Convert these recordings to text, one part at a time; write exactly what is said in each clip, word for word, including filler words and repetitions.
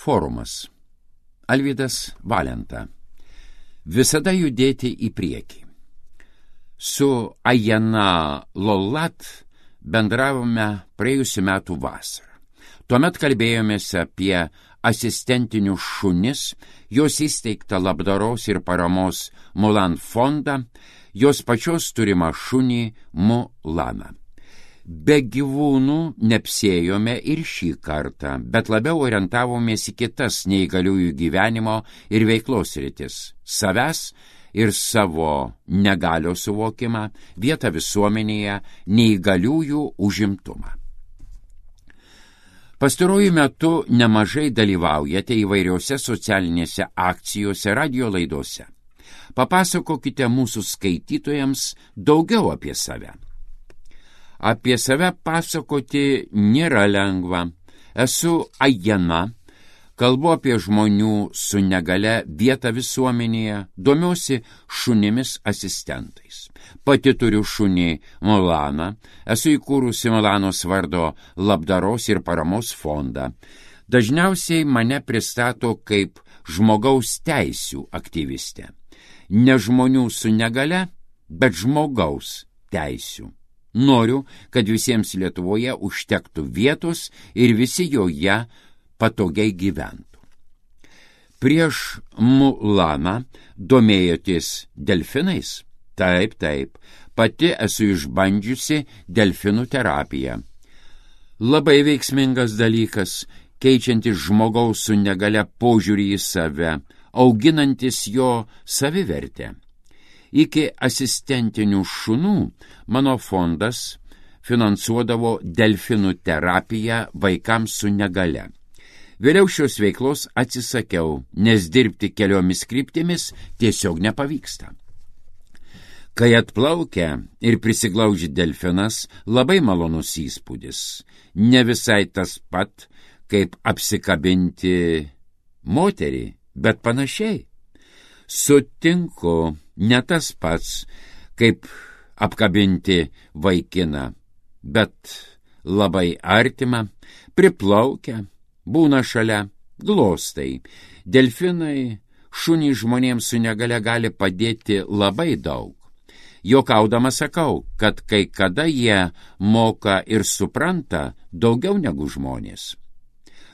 Forumas. Alvydas Valenta. Visada judėti į priekį. Su Ajana Lolat bendravome praėjusiu metų vasarą. Tuomet kalbėjomės apie asistentinius šunis, jos įsteigtą labdaros ir paramos Mulan fondą, jos pačios turimą šunį Mulaną. Be gyvūnų neapsėjome ir šį kartą, bet labiau orientavomės į kitas neįgaliųjų gyvenimo ir veiklos sritis – savęs ir savo negalios suvokimą, vietą visuomenėje, neįgaliųjų užimtumą. Pastaruoju metu nemažai dalyvaujate įvairiose socialinėse akcijose, radio laidose. Papasakokite mūsų skaitytojams daugiau apie save. Apie save pasakoti nėra lengva. Esu Ajana, kalbu apie žmonių su negale vietą visuomenėje, domiuosi šunimis asistentais. Pati turiu šunį Mulaną, esu įkūrusi Mulanos vardo labdaros ir paramos fondą. Dažniausiai mane pristato kaip žmogaus teisių aktyvistė. Ne žmonių su negale, bet žmogaus teisių. Noriu, kad visiems Lietuvoje užtektų vietos ir visi joje patogiai gyventų. Prieš Mulaną domėjotės delfinais? Taip, taip, pati esu išbandžiusi delfinų terapiją. Labai veiksmingas dalykas, keičiantis žmogaus su negale požiūrį į save, auginantis jo savivertę. Iki asistentinių šunų mano fondas finansuodavo delfinų terapiją vaikams su negale. Vėliau šios veiklos atsisakiau, nes dirbti keliomis kryptimis tiesiog nepavyksta. Kai atplaukia ir prisiglaudžia delfinas, labai malonus įspūdis. Ne visai tas pat, kaip apsikabinti moterį, bet panašiai. Sutinku, ne tas pats, kaip apkabinti vaikiną, bet labai artima, priplaukia, būna šalia, glostai. Delfinai šunį žmonėms su negale gali padėti labai daug. Juokaudama sakau, kad kai kada jie moka ir supranta daugiau negu žmonės.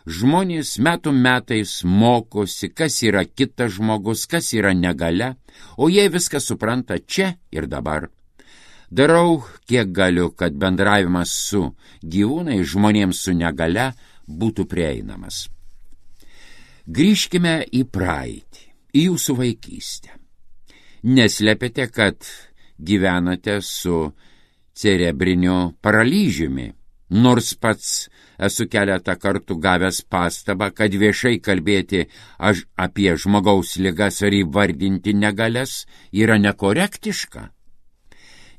Žmonės metų metais mokosi, kas yra kitas žmogus, kas yra negalia, o jie viską supranta čia ir dabar. Darau, kiek galiu, kad bendravimas su gyvūnai žmonėms su negale būtų prieinamas. Grįžkime į praeitį, į jūsų vaikystę. Neslepiate, kad gyvenate su cerebriniu paralyžiumi, nors pats esu keletą kartų gavęs pastabą, kad viešai kalbėti aš apie žmogaus ligas ar įvardinti negalias yra nekorektiška.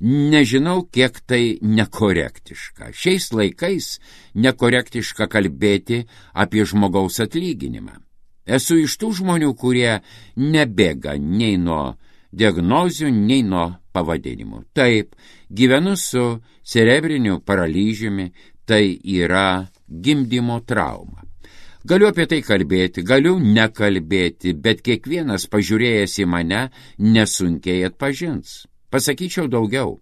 Nežinau, kiek tai nekorektiška. Šiais laikais nekorektiška kalbėti apie žmogaus atlyginimą. Esu iš tų žmonių, kurie nebėga nei nuo diagnozių, nei nuo pavadinimų. Taip, gyvenu su cerebriniu paralyžiumi, tai yra gimdymo trauma. Galiu apie tai kalbėti, galiu nekalbėti, bet kiekvienas pažiūrėjęs į mane nesunkiai atpažins. Pasakyčiau daugiau.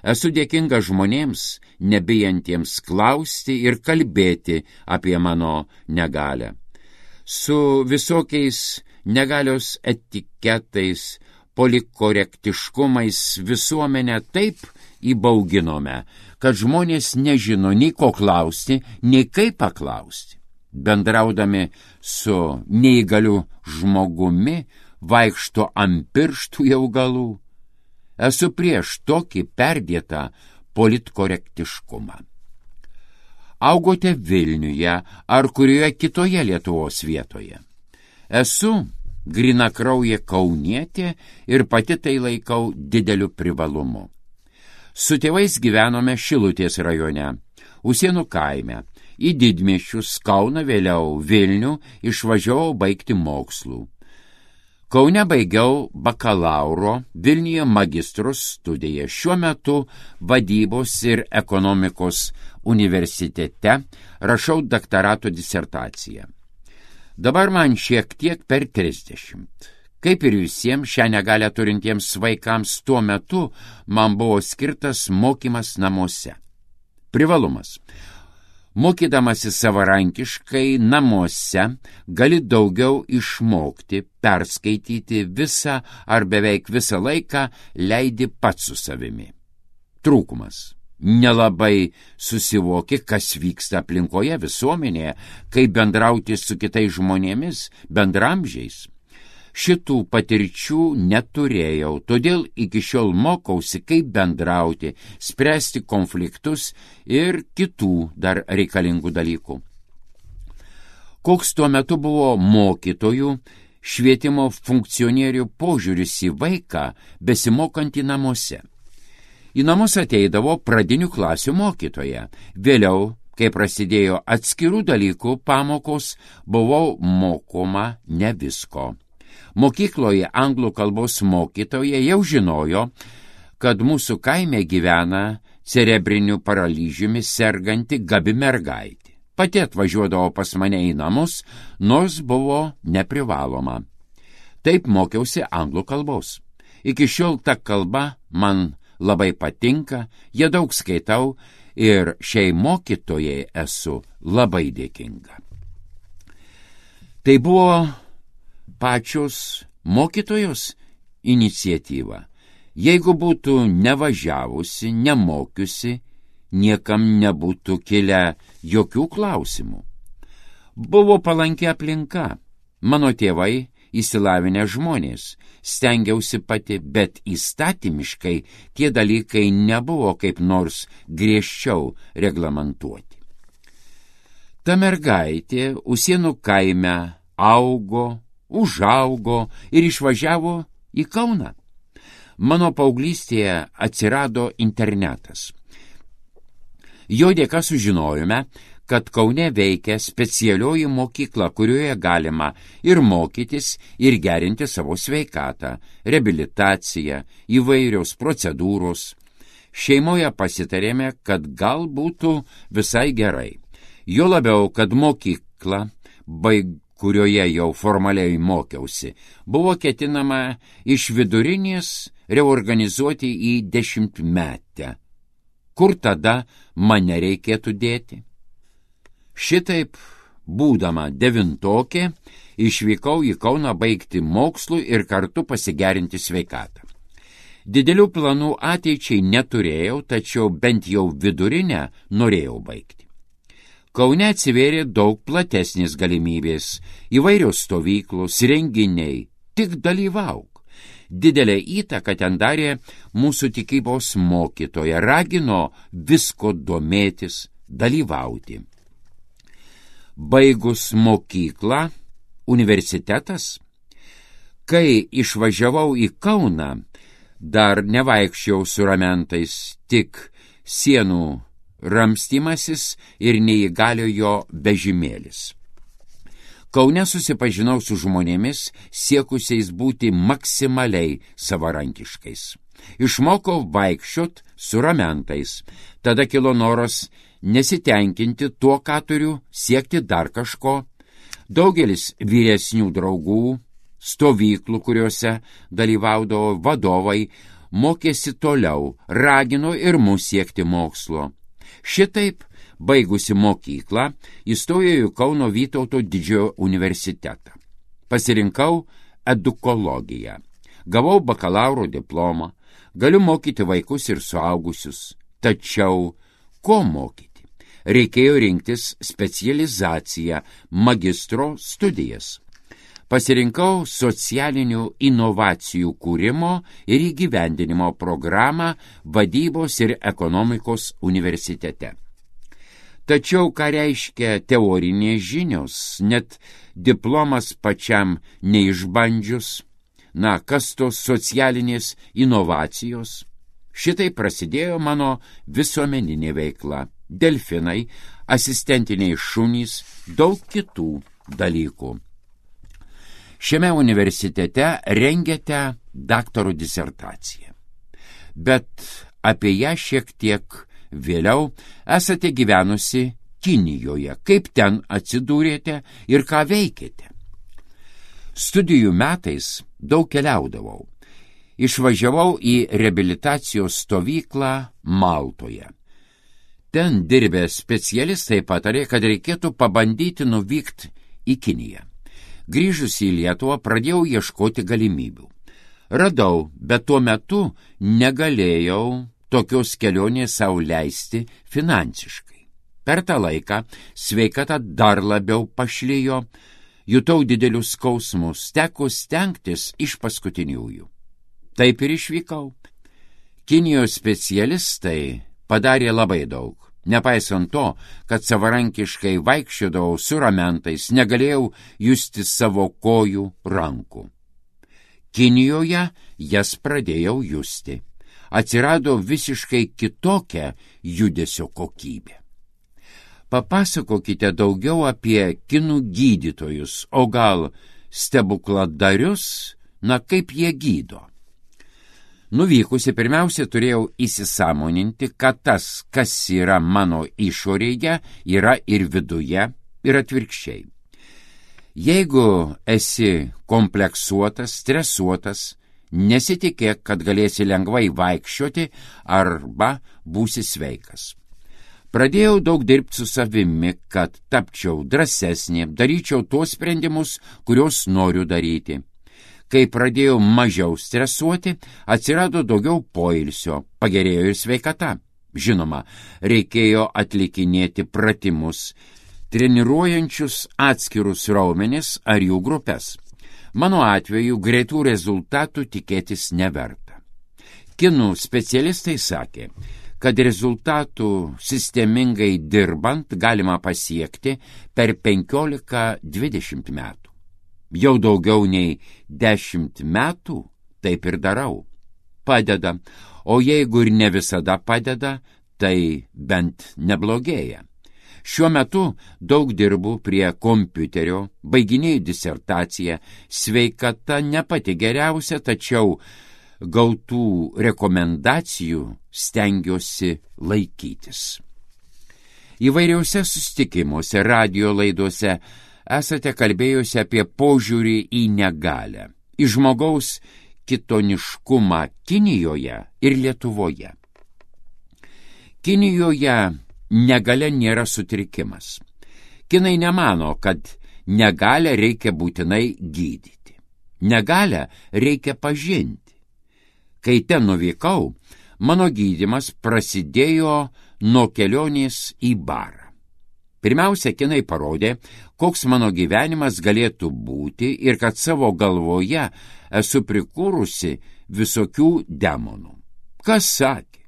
Esu dėkinga žmonėms, nebijantiems klausti ir kalbėti apie mano negalę. Su visokiais negalios etiketais, polikorektiškumais visuomenę taip įbauginome, kad žmonės nežino nei ko klausti, nei kaip paklausti. Bendraudami su neįgaliu žmogumi, vaikšto ant pirštų jau galų. Esu prieš tokį perdėtą politkorektiškumą. Augote Vilniuje ar kurioje kitoje Lietuvos vietoje. Esu grynakraujė kaunietė ir pati tai laikau dideliu privalumu. Su tėvais gyvenome Šilutės rajone, Usėnų kaime, į didmiesčius Kauną, vėliau Vilnių išvažiavau baigti mokslų. Kaune baigiau bakalauro, Vilniuje magistro studiją, šiuo metu vadybos ir ekonomikos universitete rašau daktarato disertaciją. Dabar man šiek tiek per trisdešimt. Kaip ir visiems šią negalią turintiems vaikams tuo metu man buvo skirtas mokymas namuose. Privalumas. Mokydamasi savarankiškai namuose gali daugiau išmokti, perskaityti visą ar beveik visą laiką leidi pats su savimi. Trūkumas. Nelabai susivoki, kas vyksta aplinkoje, visuomenėje, kaip bendrauti su kitais žmonėmis, bendramžiais. Šitų patirčių neturėjau, todėl iki šiol mokausi, kaip bendrauti, spręsti konfliktus ir kitų dar reikalingų dalykų. Koks tuo metu buvo mokytojų, švietimo funkcionierių požiūris į vaiką besimokantį namuose? Į namus ateidavo pradinių klasių mokytoja. Vėliau, kai prasidėjo atskirų dalykų pamokos, buvau mokoma ne visko. Mokykloje anglų kalbos mokytoja jau žinojo, kad mūsų kaime gyvena cerebriniu paralyžiumi serganti gabi mergaitė. Pati atvažiuodavo pas mane į namus, nors buvo neprivaloma. Taip mokiausi anglų kalbos. Iki šiol ta kalba man labai patinka, ją daug skaitau ir šiai mokytojai esu labai dėkinga. Tai buvo pačios mokytojos iniciatyva. Jeigu būtų nevažiavusi, nemokiusi, niekam nebūtų kilę jokių klausimų. Buvo palanki aplinka. Mano tėvai išsilavinę žmonės. Stengiausi pati, bet įstatymiškai tie dalykai nebuvo kaip nors griežčiau reglamentuoti. Ta mergaitė Usienų kaime augo, užaugo ir išvažiavo į Kauną. Mano paauglystėje atsirado internetas. Jo dėka sužinojome, kad Kaune veikia specialioji mokykla, kurioje galima ir mokytis, ir gerinti savo sveikatą, reabilitaciją, įvairios procedūros. Šeimoje pasitarėme, kad gal būtų visai gerai. Jo labiau, kad mokykla, baig kurioje jau formaliai mokiausi, buvo ketinama iš vidurinės reorganizuoti į dešimtmetę. Kur tada mane reikėtų dėti? Šitaip, būdama devintokė, išvykau į Kauną baigti mokslų ir kartu pasigerinti sveikatą. Didelių planų ateičiai neturėjau, tačiau bent jau vidurinę norėjau baigti. Kaune atsivėrė daug platesnės galimybės, įvairios stovyklos, renginiai, tik dalyvauk. Didelę įtaką ten darė mūsų tikybos mokytoja, ragino visko domėtis, dalyvauti. Baigus mokyklą, universitetas, kai išvažiavau į Kauną, dar nevaikščiau su ramentais, tik sienų ramstymasis ir neįgaliojo vežimėlis. Kaune susipažinau su žmonėmis, siekusiais būti maksimaliai savarankiškais. Išmokau vaikščiot su ramentais. Tada kilo noras nesitenkinti tuo, ką turiu, siekti dar kažko. Daugelis vyresnių draugų, stovyklų, kuriuose dalyvaudavo vadovai, mokėsi toliau, ragino ir mus siekti mokslo. Šitaip, baigusi mokyklą, įstojau į Kauno Vytauto didžiojo universitetą. Pasirinkau edukologiją. Gavau bakalauro diplomą. Galiu mokyti vaikus ir suaugusius. Tačiau, ko mokyti? Reikėjo rinktis specializaciją, magistro studijas. Pasirinkau socialinių inovacijų kūrimo ir įgyvendinimo programą vadybos ir ekonomikos universitete. Tačiau, ką reiškia teorinės žinios, net diplomas pačiam neišbandžius, na, kas tos socialinės inovacijos? Šitai prasidėjo mano visuomeninė veikla, delfinai, asistentiniai šunys, daug kitų dalykų. Šiame universitete rengiate daktaro disertaciją, bet apie ją šiek tiek vėliau esate gyvenusi Kinijoje. Kaip ten atsidūrėte ir ką veikėte? Studijų metais daug keliaudavau. Išvažiavau į reabilitacijos stovyklą Maltoje. Ten dirbę specialistai patarė, kad reikėtų pabandyti nuvykti į Kiniją. Grįžus į Lietuvą pradėjau ieškoti galimybių. Radau, bet tuo metu negalėjau tokios kelionės sau leisti finansiškai. Per tą laiką sveikata dar labiau pašlijo, jutau didelius skausmus, teko stengtis iš paskutiniųjų. Taip ir išvykau. Kinijos specialistai padarė labai daug. Nepaisant to, kad savarankiškai vaikščiodavau su ramentais, negalėjau justi savo kojų, rankų. Kinijoje jas pradėjau justi. Atsirado visiškai kitokia judesio kokybė. Papasakokite daugiau apie kinų gydytojus, o gal stebukladarius, na kaip jie gydo. Nuvykusi pirmiausia turėjau įsisąmoninti, kad tas, kas yra mano išorėje, yra ir viduje, ir atvirkščiai. Jeigu esi kompleksuotas, stresuotas, nesitikėk, kad galėsi lengvai vaikščioti arba būsi sveikas. Pradėjau daug dirbti su savimi, kad tapčiau drąsesnė, daryčiau tuos sprendimus, kuriuos noriu daryti. Kai pradėjau mažiau stresuoti, atsirado daugiau poilsio, pagerėjo ir sveikata. Žinoma, reikėjo atlikinėti pratimus, treniruojančius atskirus raumenis ar jų grupės. Mano atveju greitų rezultatų tikėtis neverta. Kinų specialistai sakė, kad rezultatų sistemingai dirbant galima pasiekti per penkiolika dvidešimt metų. Jau daugiau nei dešimt metų taip ir darau. Padeda, o jeigu ir ne visada padeda, tai bent neblogėja. Šiuo metu daug dirbu prie kompiuterio, baiginėju disertaciją, sveikata ne pati geriausia, tačiau gautų rekomendacijų stengiuosi laikytis. Įvairiausiose susitikimuose, radio laidose esate kalbėjusi apie požiūrį į negalią, į žmogaus kitoniškumą Kinijoje ir Lietuvoje. Kinijoje negalia nėra sutrikimas. Kinai nemano, kad negalią reikia būtinai gydyti. Negalią reikia pažinti. Kai ten nuvykau, mano gydymas prasidėjo nuo kelionės į barą. Pirmiausia, kinai parodė, koks mano gyvenimas galėtų būti ir kad savo galvoje esu prikūrusi visokių demonų. Kas sakė,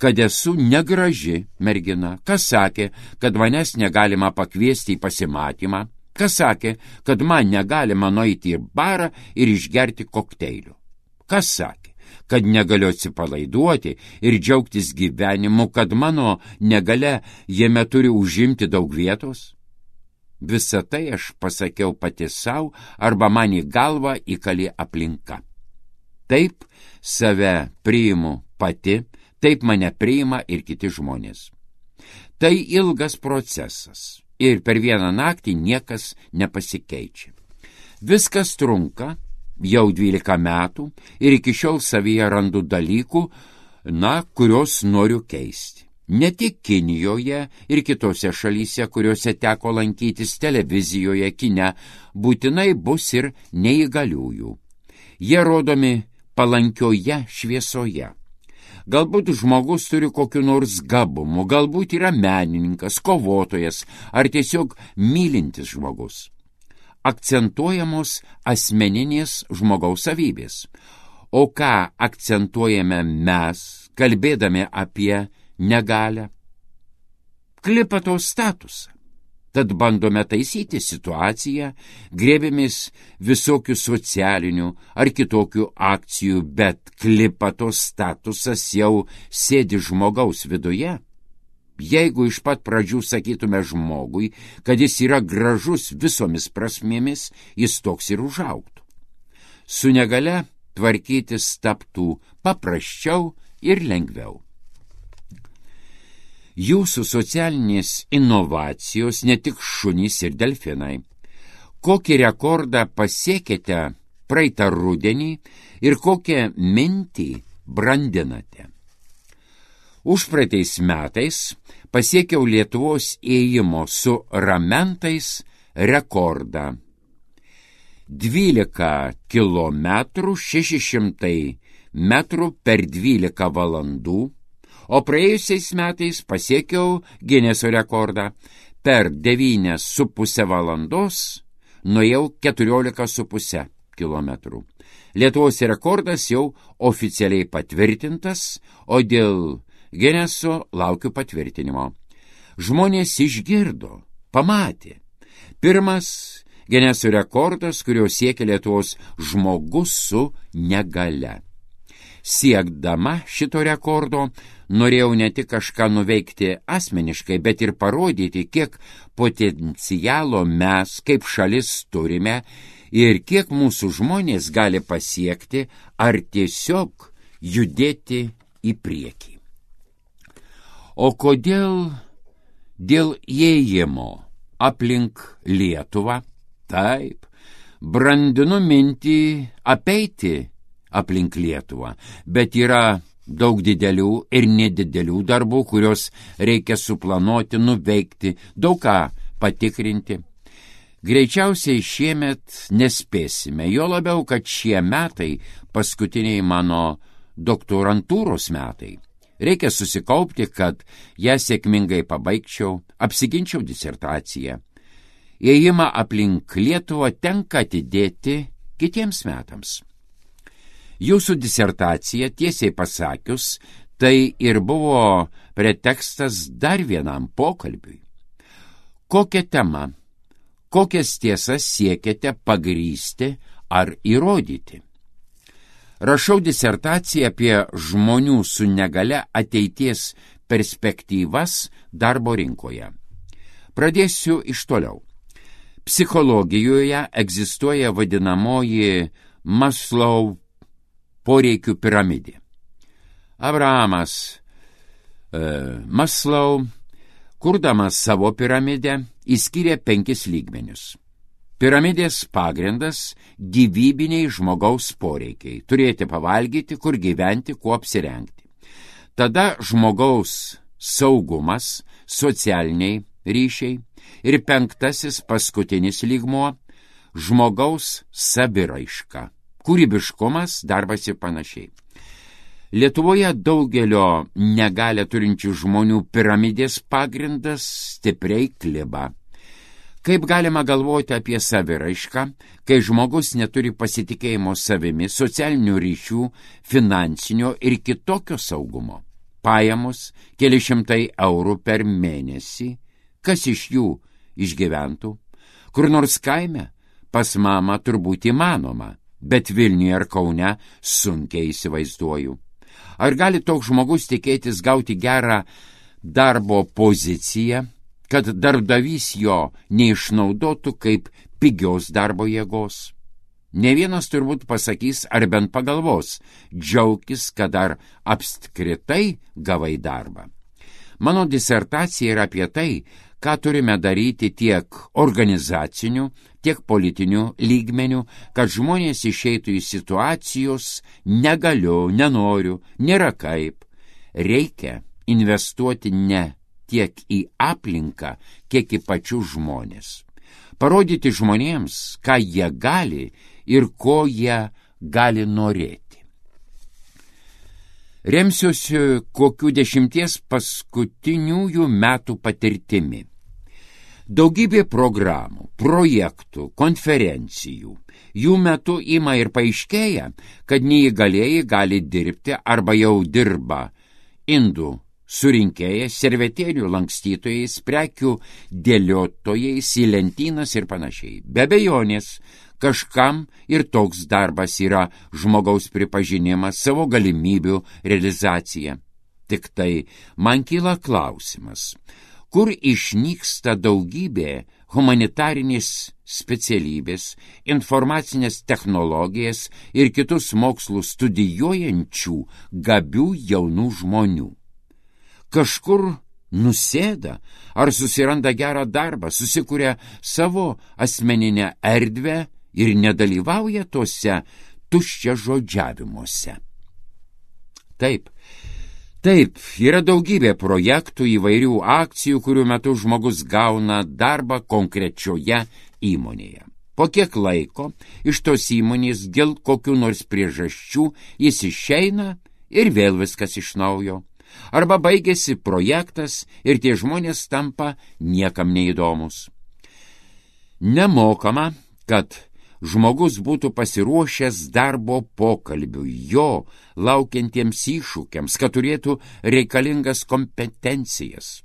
kad esu negraži mergina? Kas sakė, kad manęs negalima pakviesti į pasimatymą? Kas sakė, kad man negalima nueiti į barą ir išgerti kokteilių? Kas sakė, kad negaliu atsipalaiduoti ir džiaugtis gyvenimu, kad mano negalia jame turi užimti daug vietos? Visą tai aš pasakiau pati savo arba man į galvą įkalė aplinka. Taip save priimu pati, taip mane priima ir kiti žmonės. Tai ilgas procesas ir per vieną naktį niekas nepasikeičia. Viskas trunka jau dvylika metų ir iki šiol savyje randu dalykų, na, kurios noriu keisti. Ne tik Kinijoje ir kitose šalyse, kuriuose teko lankytis televizijoje, kine, būtinai bus ir neįgaliųjų. Jie rodomi palankioje šviesoje. Galbūt žmogus turi kokiu nors gabumu, galbūt yra menininkas, kovotojas ar tiesiog mylintis žmogus. Akcentuojamos asmeninės žmogaus savybės. O ką akcentuojame mes, kalbėdami apie negalią? Klipato statusą. Tad bandome taisyti situaciją, grėbėmės visokių socialinių ar kitokių akcijų, bet klipato statusas jau sėdi žmogaus viduje. Jeigu iš pat pradžių sakytume žmogui, kad jis yra gražus visomis prasmėmis, jis toks ir užaugtų. Su negalia tvarkytis taptų paprasčiau ir lengviau. Jūsų socialinės inovacijos ne tik šunys ir delfinai. kokį rekordą pasiekėte praeitą rudenį ir kokią mintį brandinate. Užpraeitais metais pasiekiau Lietuvos ėjimo su ramentais rekordą. dvylika kilometrų šeši šimtai metrų per dvylika valandų, o praėjusiais metais pasiekiau Gineso rekordą. Per devynias su pusę valandos nuėjau keturiolika su pusę kilometrų. Lietuvos rekordas jau oficialiai patvirtintas, o dėl Gineso laukiu patvirtinimo. Žmonės išgirdo, pamatė. Pirmas Gineso rekordas, kurio siekia Lietuvos žmogus su negale. Siekdama šito rekordo, norėjau ne tik kažką nuveikti asmeniškai, bet ir parodyti, kiek potencialo mes kaip šalis turime ir kiek mūsų žmonės gali pasiekti ar tiesiog judėti į priekį. O kodėl dėl ėjimo aplink Lietuvą? Taip, brandinu mintį apeiti aplink Lietuvą, bet yra daug didelių ir nedidelių darbų, kurios reikia suplanuoti, nuveikti, daug ką patikrinti. Greičiausiai šiemet nespėsime, jo labiau, kad šie metai paskutiniai mano doktorantūros metai. Reikia susikaupti, kad ją sėkmingai pabaigčiau, apsiginčiau disertaciją. Ėjimą aplink Lietuvą tenka atidėti kitiems metams. Jūsų disertacija, tiesiai pasakius, tai ir buvo pretekstas dar vienam pokalbiui. Kokią temą, kokias tiesas siekiate pagrįsti ar įrodyti? Rašau disertaciją apie žmonių su negale ateities perspektyvas darbo rinkoje. Pradėsiu iš toliau. Psichologijoje egzistuoja vadinamoji Maslow poreikių piramidė. Abrahamas e, Maslow, kurdamas savo piramidę, įskyrė penkis lygmenius. Piramidės pagrindas – gyvybiniai žmogaus poreikiai. Turėti pavalgyti, kur gyventi, kuo apsirengti. Tada žmogaus saugumas, socialiniai ryšiai ir penktasis paskutinis lygmuo – žmogaus saviraiška, kūrybiškumas, darbas ir panašiai. Lietuvoje daugelio negalią turinčių žmonių piramidės pagrindas stipriai kliba. Kaip galima galvoti apie saviraišką, kai žmogus neturi pasitikėjimo savimi, socialinių ryšių, finansinio ir kitokio saugumo? Pajamos keli šimtai eurų per mėnesį, kas iš jų išgyventų? Kur nors kaime pas mamą turbūt įmanoma, bet Vilniuje ar Kaune sunkiai įsivaizduoju. Ar gali toks žmogus tikėtis gauti gerą darbo poziciją, kad darbdavys jo neišnaudotų kaip pigios darbo jėgos? Ne vienas turbūt pasakys ar bent pagalvos, džiaukis, kad dar apskritai gavai darbą. Mano disertacija yra apie tai, ką turime daryti tiek organizacinių, tiek politinių lygmenių, kad žmonės išeitų į situacijos negaliu, nenoriu, nėra kaip. Reikia investuoti ne tiek į aplinką, kiek į pačius žmonės. Parodyti žmonėms, ką jie gali ir ko jie gali norėti. Remsiuosi kokių dešimties paskutiniųjų metų patirtimi. Daugybė programų, projektų, konferencijų. Jų metu ima ir paaiškėja, kad neįgalieji gali dirbti arba jau dirba indų surinkėjais, servetėlių lankstytojais, prekių dėliotojais į lentynas ir panašiai. Be abejonės, kažkam ir toks darbas yra žmogaus pripažinimas, savo galimybių realizacija. Tik tai man kyla klausimas, kur išnyksta daugybė humanitarinės specialybės, informacinės technologijas ir kitus mokslus studijuojančių gabių jaunų žmonių. Kažkur nusėda ar susiranda gerą darbą, susikuria savo asmeninę erdvę ir nedalyvauja tose tuščiažodžiavimuose. Taip, taip, yra daugybė projektų, įvairių akcijų, kurių metu žmogus gauna darbą konkrečioje įmonėje. Po kiek laiko iš tos įmonės dėl kokių nors priežasčių jis išeina ir vėl viskas iš naujo. Arba baigėsi projektas ir tie žmonės tampa niekam neįdomus. Nemokama, kad žmogus būtų pasiruošęs darbo pokalbių, jo laukiantiems iššūkiams, kad turėtų reikalingas kompetencijas.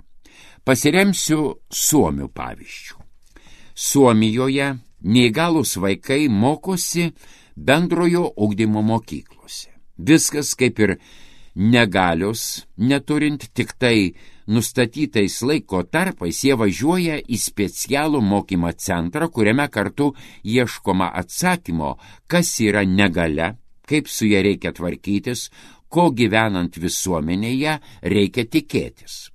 Pasiremsiu Suomių pavyzdžių. Suomijoje neįgalūs vaikai mokosi bendrojo ugdymo mokyklose. Viskas kaip ir negalios, neturint tik tai nustatytais laiko tarpais, jie važiuoja į specialų mokymo centrą, kuriame kartu ieškoma atsakymo, kas yra negalia, kaip su ja reikia tvarkytis, ko gyvenant visuomenėje reikia tikėtis.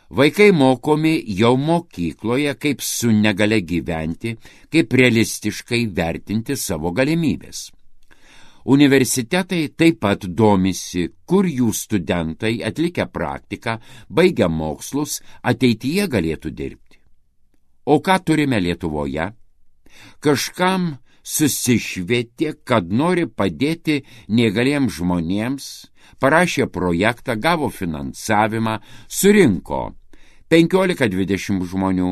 Vaikai mokomi jau mokykloje, kaip su negalia gyventi, kaip realistiškai vertinti savo galimybės. Universitetai taip pat domisi, kur jų studentai atlikę praktiką, baigę mokslus, ateityje galėtų dirbti. O ką turime Lietuvoje? Kažkam susišvietė, kad nori padėti neįgaliems žmonėms, parašė projektą, gavo finansavimą, surinko penkiolika dvidešimt žmonių.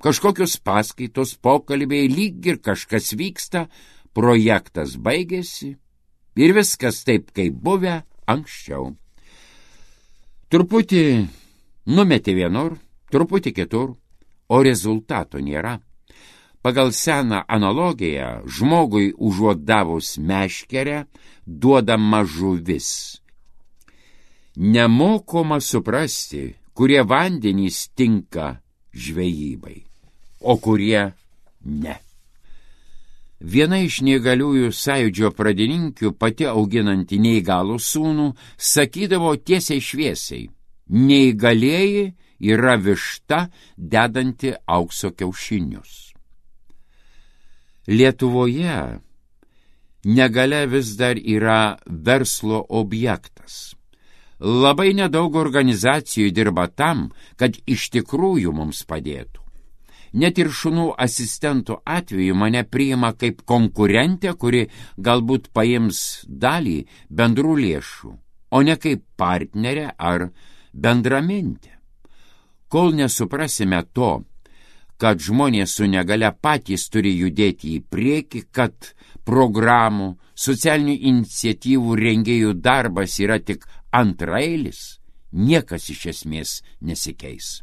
Kažkokios paskaitos, pokalbiai, lyg ir kažkas vyksta, projektas baigėsi ir viskas taip, kaip buvę anksčiau. Truputį numetė vienur, truputį kitur, o rezultato nėra. Pagal seną analogiją žmogui užuot davus meškerę duodama žuvis. Nemokoma suprasti, kurie vandenys tinka žvejybai, o kurie ne. Viena iš neįgaliųjų sąjūdžio pradininkių, pati auginanti neįgalų sūnų, sakydavo tiesiai šviesiai: neįgalieji yra višta dedanti aukso kiaušinius. Lietuvoje negalia vis dar yra verslo objektas. Labai nedaug organizacijų dirba tam, kad iš tikrųjų mums padėtų. Net ir šunų asistentų atveju mane priima kaip konkurentė, kuri galbūt paims dalį bendrų lėšų, o ne kaip partnerė ar bendramintė. Kol nesuprasime to, kad žmonės su negalia patys turi judėti į priekį, kad programų, socialinių iniciatyvų rengėjų darbas yra tik antraeilis, niekas iš esmės nesikeis.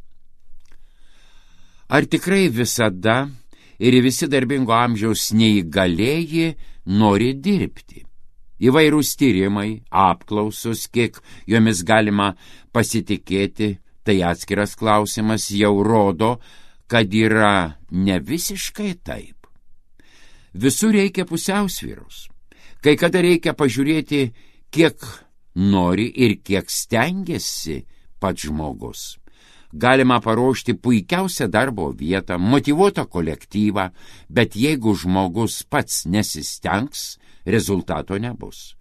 Ar tikrai visada ir visi darbingo amžiaus neįgalieji nori dirbti? Įvairūs tyrimai, apklausos, kiek jomis galima pasitikėti, tai atskiras klausimas, jau rodo, kad yra ne visiškai taip. Visur reikia pusiausvyros. Kai kada reikia pažiūrėti, kiek nori ir kiek stengiasi pats žmogus. Galima paruošti puikiausią darbo vietą, motyvuotą kolektyvą, bet jeigu žmogus pats nesistengs, rezultato nebus.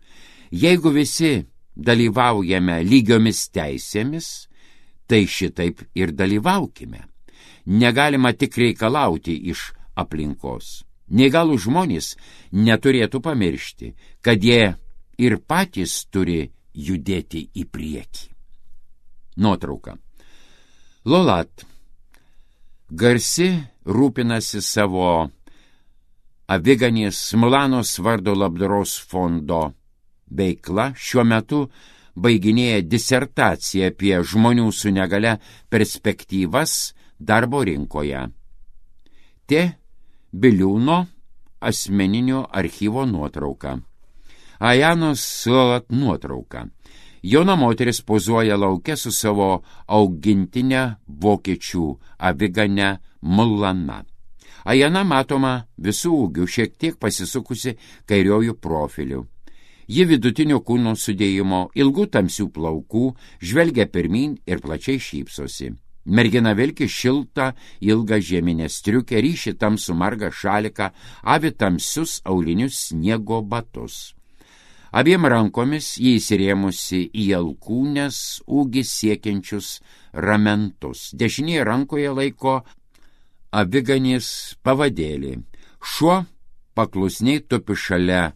Jeigu visi dalyvaujame lygiomis teisėmis, tai šitaip ir dalyvaukime. Negalima tik reikalauti iš aplinkos. Neįgalų žmonės neturėtų pamiršti, kad jie ir patys turi judėti į priekį. Nuotrauka. Lolat. Garsi rūpinasi savo aviganės Smulanos vardo labdaros fondo veikla, šiuo metu baiginėja disertaciją apie žmonių su negalia perspektyvas darbo rinkoje. Te Biliūno asmeninio archyvo nuotrauka. Ajanos Lolat nuotrauka. Jauna moteris pozuoja lauke su savo augintinę vokiečių avigane Mulana. Ajana matoma visų ūgių, šiek tiek pasisukusi kairiojų profiliu. Ji vidutinio kūno sudėjimo, ilgų tamsių plaukų, žvelgia pirmyn ir plačiai šypsosi. Mergina vilki šiltą, ilgą žieminę striukę, ryši tamsų margą šaliką, avi tamsius aulinius sniego batus. Abiem rankomis jį įsirėmusi į alkūnės ūgį siekiančius ramentus. Dešinėje rankoje laiko aviganės pavadėlį. Šuo paklusniai tupi šalia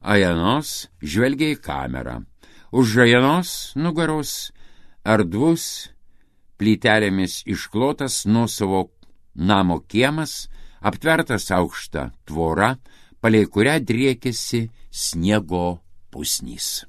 Ajanos, žvelgia į kamerą. Už Ajanos nugaros erdvus plytelėmis išklotas nuosavo namo kiemas, aptvertas aukšta tvora, palei kurią driekėsi sniego pusnys.